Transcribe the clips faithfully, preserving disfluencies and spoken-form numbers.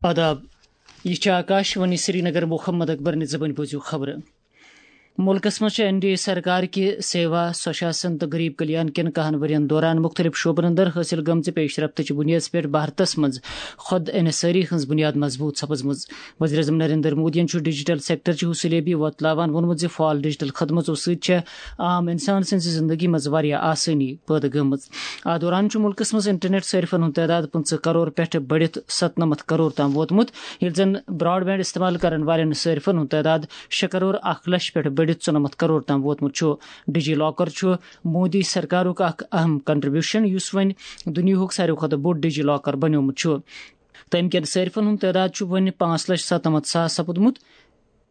آداب، یہِ چھِ آکاش وانی سرینگر۔ محمد اکبر نہِ زبٲنۍ بوٗزِو خبرٕ۔ مُلکَس منٛز چھِ این ڈی اے سرکار کہِ سیوا، سوشاسن تہٕ غریب کلیان کٮ۪ن کَہَن ؤرین دوران مُختٔلِف شعبن اندر حٲصِل گٔمژِ پیش رفتٕچ بُنیادس پٮ۪ٹھ بھارتس منٛز خود انحصٲری ہٕنٛز بُنیاد مضبوٗط سپٕزمٕژ۔ وزیر اعظم نریندر مودیَن چھُ ڈیجیٹل سیکٹرٕچ حوصلہٕ یٲبی وۄتلاوان ووٚنمُت زِ فعال ڈیجیٹل خدمژو سۭتۍ چھےٚ عام انسان سٕنٛزِ زندگی منٛز واریاہ آسٲنی پٲدٕ گٔمٕژ۔ اتھ دوران چھُ مُلکَس منٛز انٹرنیٹ صٲرفَن ہُنٛد تعداد پٕنٛژٕہ کرور پٮ۪ٹھٕ بٔڑِتھ ستنَمتھ کرور تام ووتمُت، ییٚلہِ زن براڈ بینڈ استعمال کرن والٮ۪ن صٲرفَن ہُنٛد تعداد شےٚ کرور اکھ لچھ پٮ۪ٹھٕ بٔڑِتھ ژُنَمتھ کرور تام ووتمُت چھُ۔ ڈیجی لاکر چھُ مودی سرکارُک اکھ اہم کنٹریبیوشن، یُس وۄنۍ دُنیاہُک ساروی کھۄتہٕ بوٚڑ ڈیجی لاکر بنیومُت چھُ۔ تَمہِ کٮ۪ن صٲرفَن ہُنٛد تعداد چھُ وۄنۍ پانٛژھ لچھ ستنَمتھ ساس سپُدمُت،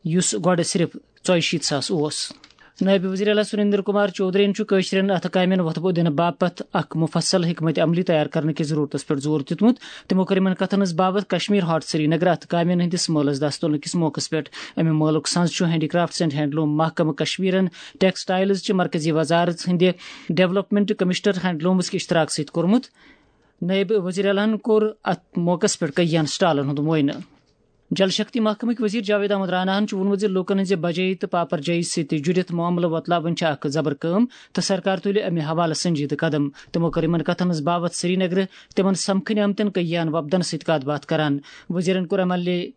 یُس گۄڈٕ صرف ژۄیہِ شیٖتھ ساس اوس۔ نٲیِب وزیر اعلیٰ سریندر کمار چودھرین چھُ کٲشرٮ۪ن اَتھٕ کامٮ۪ن وۄتھبو دِنہٕ باپتھ اکھ مُفصل حکمت عملی تیار کرنہٕ کِس ضروٗرتس پٮ۪ٹھ زور دیُتمُت۔ تِمو کٔر یِمن کتھن ہٕنٛز باوتھ کشمیر ہاٹ سرینگر اَتھٕ کامٮ۪ن ہٕنٛدِس مٲلس دستولہٕ کِس موقعس پٮ۪ٹھ۔ اَمہِ مٲلُک سنٛز چھُ ہینڈی کرافٹس اینڈ ہینڈلوم محکمہٕ کشمیرن، ٹیکسٹائلز چہِ مرکزی وزارت ہٕنٛدِ ڈیولپمنٹ کمشنر ہینڈلومس کہِ اشتراک سۭتۍ کوٚرمُت۔ نٲیِب وزیر اعلیٰ ہَن کوٚر اَتھ موقعس پٮ۪ٹھ کٔہیٖن سٹالن ہُنٛد معائنہٕ۔ جل شکتی محکمٕکۍ وزیر جاوید احمد رانا ہَن چھُ ووٚنمُت زِ لوٗکَن ہٕنٛزِ بجٲیی تہٕ پاپرجٲیی سۭتۍ جُڑِتھ معاملہٕ وۄتلاوٕنۍ چھِ اکھ زبر کٲم تہٕ سرکار تُلہِ اَمہِ حوالہٕ سنجیدٕ قدم۔ تِمو کٔر یِمَن کَتھَن ہٕنٛز باوتھ سرینگرٕ تِمَن سمکھنہِ آمتٮ۪ن کٔہیٖن وۄپدَن سۭتۍ کَتھ باتھ کران۔ وزیرَن کوٚر M L A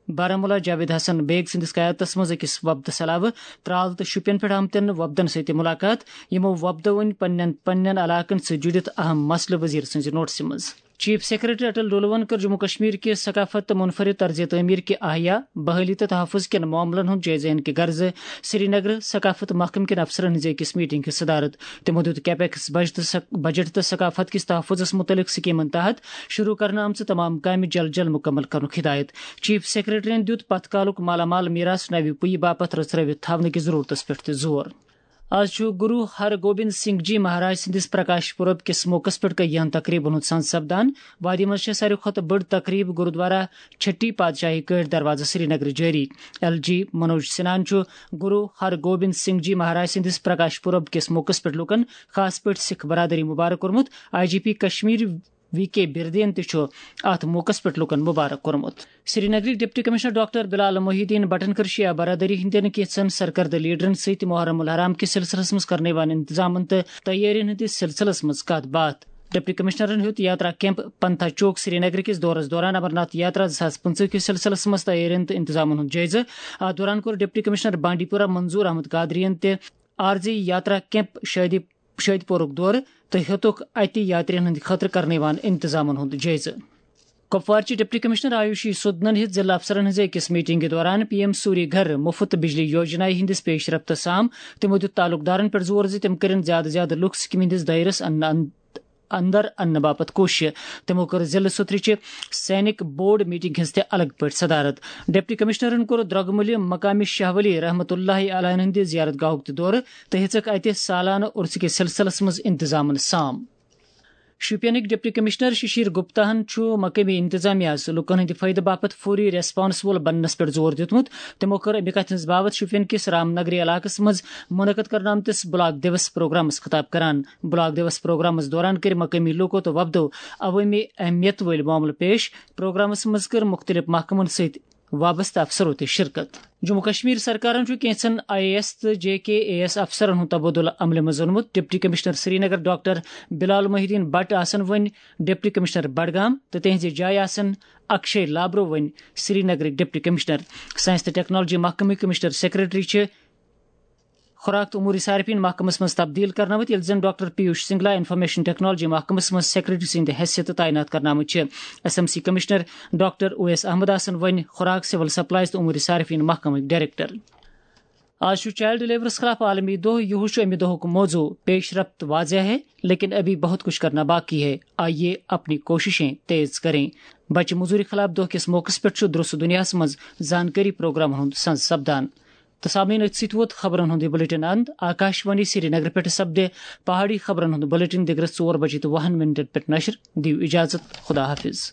Baramulla Javed Hassan Beg سٕنٛدِس قیادتَس منٛز أکِس وۄپدٕ سلاوٕ ترال تہٕ شُپین پٮ۪ٹھ آمتٮ۪ن وۄپدَن سۭتۍ تہِ مُلاقات، یِمو وۄپدو وۄنۍ پننٮ۪ن پننٮ۪ن علاقَن سۭتۍ جُڑِتھ اہم مسلہٕ وزیر سٕنٛزِ نوٹسہِ منٛز۔ چیف سیکرٹری اٹل ڈولون کٔر جموں کشمیر کہِ ثقافت تہٕ منفرد طرز تعمیر کہِ احیا، بحالی تہٕ تحفظ کٮ۪ن معاملن ہُنٛد جٲیزٕ ہینہٕ کہِ غرضہٕ سرینگرٕ ثقافت محکمہٕ کٮ۪ن افسرن ہٕنٛزِ أکِس میٹنگ ہٕنٛز صدارت۔ تِمو دیُت کیپیکس بجٹ تہٕ ثق-، بجٹ تہٕ ثقافت کِس تحفظس مُتعلق سکیمن تحت شروع کرنہٕ آمژٕ تمام کامہِ جل جل مُکمل کرنُک ہدایت۔ چیف سیکرٹریَن دیُت پتھ کالُک مالا مال میراث نوِ پُیہِ باپتھ رژھرٲوِتھ تھاونہٕ کِس ضروٗرتس پٮ۪ٹھ تہِ زور۔ آز چھُ گُرو ہر گوبند سنگھ جی مہاراج سٕنٛدِس پرکاش پُرب کِس موقعس پٮ۪ٹھ کٔہیٖن تقریٖبن ہُنٛد سنٛز سپدان۔ وادی منٛز چھےٚ ساروی کھۄتہٕ بٔڑ تقریٖب گُرودوارا چھٹی پادشاہی کٲٹھۍ دروازٕ سرینگرٕ جٲری۔ ایل جی منوج سنہاہن چھُ گُرو ہر گوبند سنگھ جی مہاراج سٕنٛدِس پرکاش پُرب کِس موقعس پٮ۪ٹھ لوٗکن، خاص پٲٹھۍ سکھ برادری، مُبارک کوٚرمُت۔ I G P Kashmir V K بردین تہِ چھُ اَتھ موقعس پٮ۪ٹھ لوٗکن مُبارک کوٚرمُت۔ سرینگرٕکۍ deputy commissioner doctor Bilal Mohiuddin بٹن کٔر شیعہ برادری ہٕنٛدٮ۪ن کینٛژن سرکردٕ لیڈرن سۭتۍ محرم الحرام کِس سلسلس منٛز کرنہٕ یِوان انتظامن تہٕ تیٲرین ہٕنٛدِس سلسلس منٛز کتھ باتھ۔ ڈپٹی کمشنرن ہیوٚت یاترا کیمپ پنتھا چوک سرینگر کِس دورس دوران امرناتھ یاترا زٕ ساس پٕنٛژٕہ کِس سلسلس منٛز تیٲرین تہٕ انتظامن ہُنٛد جٲیزٕ۔ اتھ دوران کوٚر ڈپٹی کمشنر بانڈی پورہ منظور احمد قادرین تہِ عارضی یاترا کیمپ شٲدی شٲدۍ پورُک دورٕ تہٕ ہیوٚتُکھ اَتہِ یاترین ہٕنٛدِ خٲطرٕ کرنہٕ یِوان انتظامن ہُنٛد جٲیزٕ۔ کپوارچہِ ڈپٹی کمشنر آیوشی سودنن ہیٚژ ضلع افسرن ہٕنٛزِ أکِس میٹنگہِ دوران پی ایم سوری گھر مُفت بجلی یوجنایہِ ہٕنٛدِس پیش رفتس سام۔ تِمو دیُت تعلقدارن پٮ۪ٹھ زور زِ تِم کٔرِن زیادٕ زیادٕ لُکھ سکیمہِ ہٕنٛدِس دٲیرس اندر اندر اننہٕ باپتھ کوٗشش۔ تِمو کٔر ضلعہٕ سُترٕچہِ سینک بورڈ میٹنگ ہٕنٛز تہِ الگ پٲٹھۍ صدارت۔ ڈپٹی کمشنرن کوٚر درۄگہٕ مُلہِ مقامی شاہ ولی رحمت اللہ علیہ ہٕنٛدِ زیارت گاہُک تہِ دورٕ تہٕ ہیٚژٕکھ اتہِ سالانہٕ عرسہٕ کِس سلسلس منٛز انتظامن سام۔ شوپینٕکۍ ڈپٹی کمشنر ششیر گپتا ہن چھُ مقٲمی انتظامیہ ہَس لوٗکَن ہٕنٛدِ فٲیدٕ باپتھ فوری ریسپانسبل بننس پٮ۪ٹھ زور دیُتمُت۔ تِمو کٔر اَمہِ کتھِ ہٕنٛز باوتھ شوپین کِس رام نگری علاقس منٛز منعقد کرنہٕ آمتِس بلاک دیوس پروگرامس خطاب کران۔ بلاک دیوس پروگرامس دوران کٔرۍ مقٲمی لوٗکو تہٕ وۄپدو عوٲمی اہمیت وٲلۍ معاملہٕ پیش۔ پروگرامس منٛز کٔر مُختٔلِف محکمن سۭتۍ وابستہٕ افسرو تہِ شرکت۔ جموں کشمیر سرکارن چھُ کینٛژن آئی اے ایس تہٕ جے کے اے ایس افسرن ہُنٛد تبادلہٕ عملہِ منٛز اوٚنمُت۔ Deputy commissioner Srinagar doctor Bilal Mohi uddin Bhat آسن وۄنۍ ڈپٹی کمشنر بڈگام تہٕ تِہنٛزِ جایہِ آسن اکشے لابرو وۄنۍ سرینگرٕکۍ ڈپٹی کمشنر۔ سائنس تہٕ ٹیکنالوجی محکمٕکۍ کمشنر سیکرٹری چھِ خوراک تہٕ امور صارفین محکمس منٛز تبدیل کرنہٕ آمٕتۍ، ییٚلہِ زن doctor Piyush Singla information technology محکمس منٛز سیکرٹری سٕنٛدِ حیثیتہٕ تعینات کرنہٕ آمٕتۍ چھِ۔ S M C commissioner doctor Owais Ahmad آسن وۄنۍ خوراک، سول سپلائز تہٕ امور صارفین محکمٕکۍ ڈائریکٹر۔ آز چھُ چائلڈ لیبرس خلاف عالمی دۄہ۔ یِہُس چھُ اَمہِ دۄہُک موضوع۔ پیش رفت واضح ہے، لیکن ابھی بہت کچھ کرنا باقی ہے۔ آئیے اپنی کوششیں تیز کریں۔ بچہٕ مزوری خلاف دۄہ کِس موقعس پٮ۪ٹھ چھُ درست دُنیاہَس منٛز زانکٲری پروگرامن ہُنٛد سنز سپدان۔ تہٕ سامعین، أتھۍ سۭتۍ ووت خبرن ہُنٛد یہِ بلیٹن اند۔ آکاش وانی سرینگر پٮ۪ٹھ سپدِ پہاڑی خبرن ہُنٛد بلیٹن دِگرس ژور بجے تہٕ وُہن منٹن پٮ۪ٹھ نشر۔ دِیِو اجازت، خدا حافظ۔